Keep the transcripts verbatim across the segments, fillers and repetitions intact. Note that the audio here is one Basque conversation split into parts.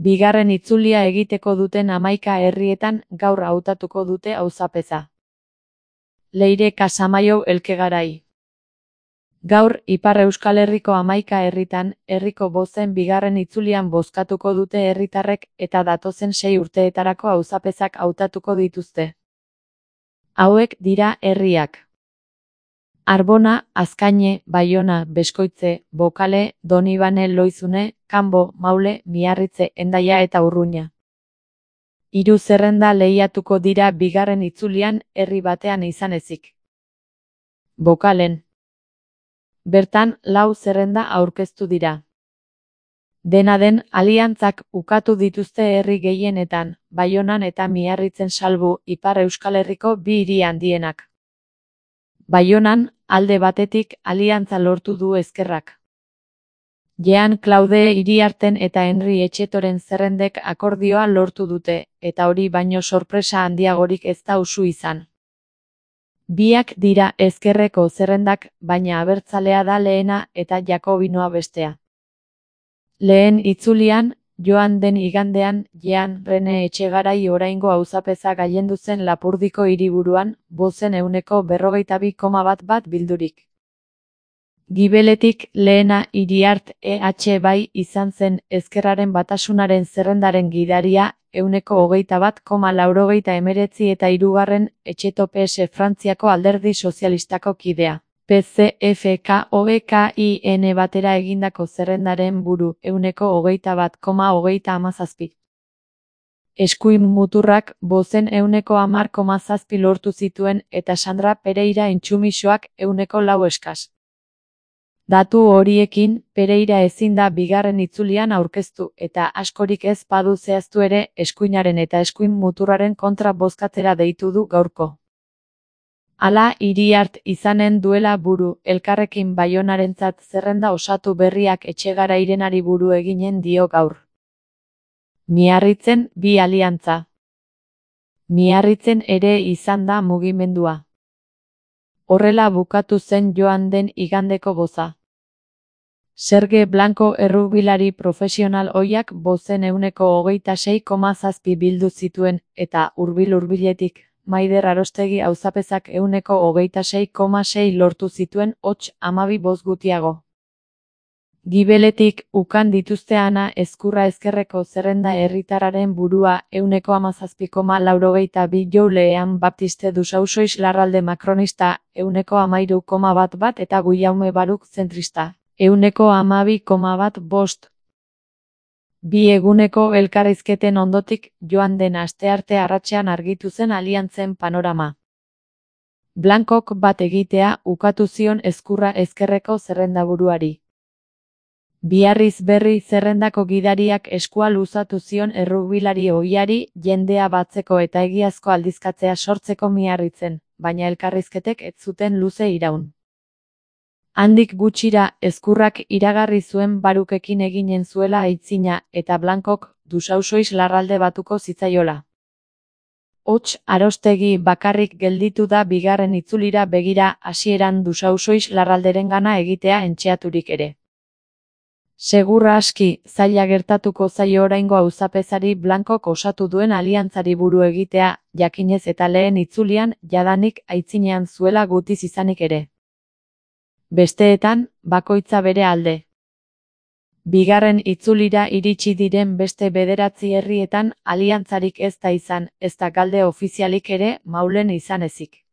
Bigarren itzulia egiteko duten hamaika herrietan gaur hautatuko dute auzapeza. Leire Kasamaio Elkegarai. Gaur, Ipar Euskal Herriko hamaika herritan, herriko bozen bigarren itzulian bozkatuko dute herritarrek eta datozen sei urteetarako auzapezak hautatuko dituzte. Hauek dira herriak: Arbona, Azkaine, Baiona, Beskoitze, Bokale, Donibane, Loizune, Kanbo, Maule, Miarritze, Hendaia eta Urruña. Hiru zerrenda lehiatuko dira bigarren itzulian herri batean izan ezik. Bokalen. Bertan, lau zerrenda aurkeztu dira. Dena den, aliantzak ukatu dituzte herri gehienetan, Baionan eta Miarritzen salbu, Ipar Euskal Herriko bi hiri handienak. Baionan, alde batetik, aliantza lortu du Ezkerrak. Jean Claude Iriarten eta Henri Etxetoren zerrendek akordioa lortu dute, eta hori baino sorpresa handiagorik ez da usu izan. Biak dira ezkerreko zerrendak, baina abertzalea da lehena eta jakobinoa bestea. Lehen itzulian, joan den igandean, Jean Rene Etxegarai oraingo auzapeza gailendu zen Lapurdiko hiriburuan, bozen ehuneko berrogeita bi koma bat bat bildurik. Gibeletik lehena Iriart E H bai izan zen Ezkerraren Batasunaren zerrendaren gidaria, ehuneko hogeita bat koma laurogeita hemeretzi eta hirugarren Etxeto P S Frantziako Alderdi Sozialistako kidea. P C F K O E K I N batera egindako zerrendaren buru, ehuneko hogeita bat koma hogeita hamazazpi. Eskuin muturrak bozen ehuneko hamar koma zazpi lortu zituen eta Sandra Pereira Intxumixoak ehuneko lau eskas. Datu horiekin, Pereira ezin da bigarren itzulian aurkeztu eta askorik ez badu zehaztu ere, eskuinaren eta eskuin muturraren kontra bozkatzera deitu du gaurko. Hala, Iriart izanen duela buru, elkarrekin Baionarentzat zerrenda osatu berriak Etxegarairenari buru eginen dio gaur. Miarritzen bi aliantza. Miarritzen ere izan da mugimendua. Horrela bukatu zen joan den igandeko boza. Serge Blanco errugbilari profesional ohiak bozen ehuneko hogeita sei koma zazpi bildu zituen, eta hurbil-hurbiletik, Maider Arostegi auzapezak ehuneko hogeita sei koma sei lortu zituen, hots hamabi boz gutiago. Gibeletik, ukan dituzte Ana Ezkurra Ezkerreko zerrenda herritarraren burua, ehuneko hamazazpi koma laurogeita bi Joulean Baptiste Dusausois Larralde Makronista, ehuneko hamairu koma bat bat eta Guillaume Baruk zentrista, ehuneko hamabi koma bat bost. Bi eguneko elkarrizketen ondotik, joan den astearte arratsean argitu zen aliantzen panorama. Blancok bat egitea ukatu zion Ezkurra Ezkerreko zerrendaburuari. Biarriz berri zerrendako gidariak eskua luzatu zion errugbilari ohiari jendea batzeko eta egiazko aldizkatzea sortzeko Miarritzen, baina elkarrizketek ez zuten luze iraun. Handik gutxira, Ezkurrak iragarri zuen Barukekin eginen zuela aitzina, eta Blancok Dusausois Larralde batuko zitzaiola. Hots, Arostegi bakarrik gelditu da bigarren itzulira begira hasieran Dusausois Larralderengana egitea entxeaturik ere. Segurra aski, zaila gertatuko zaio oraingo auzapezari Blancok osatu duen aliantzari buru egitea, jakinez eta lehen itzulian, jadanik aitzinean zuela gutiz izanik ere. Besteetan, bakoitza bere alde. Bigarren itzulira iritsi diren beste bederatzi herrietan, aliantzarik ez da izan, ez da galde ofizialik ere, Maulen izan ezik.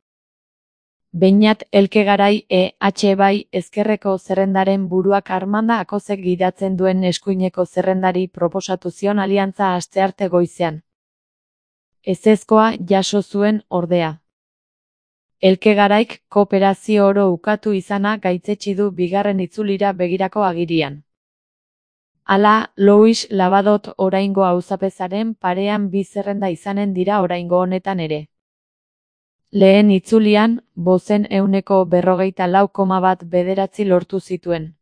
Beñat Elkegarai E H bai Ezkerreko zerrendaren buruak Armanda Akozek gidatzen duen eskuineko zerrendari proposatu zion aliantza astearte goizean. Ezezkoa jaso zuen ordea. Elkegaraik kooperazio oro ukatu izana gaitzetsi du bigarren itzulira begirako agirian. Hala, Louis Labadot oraingo auzapezaren parean bi zerrenda izanen dira oraingo honetan ere. Lehen itzulian, bozen ehuneko berrogeita lau koma bat bederatzi lortu zituen.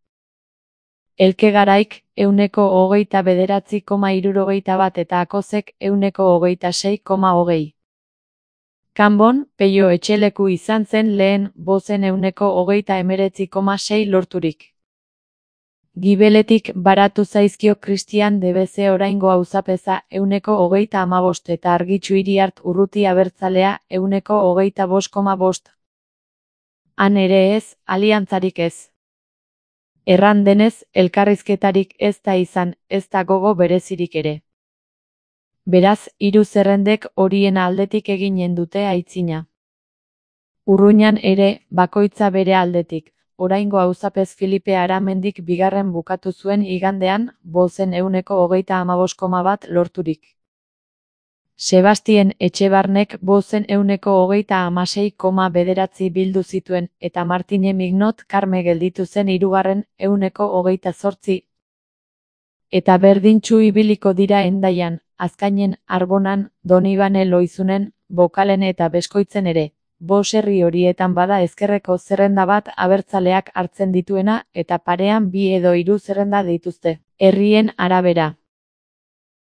Elkegaraik, ehuneko hogeita bederatzi koma hirurogeita bat eta Akozek ehuneko hogeita sei koma hogei. Kanbon, Peio Etxeleku izan zen lehen, bozen ehuneko hogeita hemeretzi koma sei lorturik. Gibeletik baratu zaizkio Christian de Beze oraingo auzapeza euneko hogeita hamabost eta Argitxu Iriart Urruti abertzalea euneko hogeita bost koma bost. Han ere ez, aliantzarik ez. Erran denez, elkarrizketarik ez da izan, ez da gogo berezirik ere. Beraz, hiru zerrendek horien aldetik eginen dute aitzina. Urruñan ere, bakoitza bere aldetik. Oraingo auzapez Filipe Aramendik bigarren bukatu zuen igandean, bozen euneko hogeita hamabost koma bat lorturik. Sebastien Etxebarnek bozen euneko hogeita hamasei koma bederatzi bildu zituen, eta Martine Mignot Karme gelditu zen hirugarren euneko hogeita zortzi. Eta berdintsu ibiliko dira Hendaian, Azkainen, Arbonan, Donibane Loizunen, Bokalen eta Beskoitzen ere. Bost herri horietan bada ezkerreko zerrenda bat abertzaleak hartzen dituena eta parean bi edo hiru zerrenda dituzte. Herrien arabera.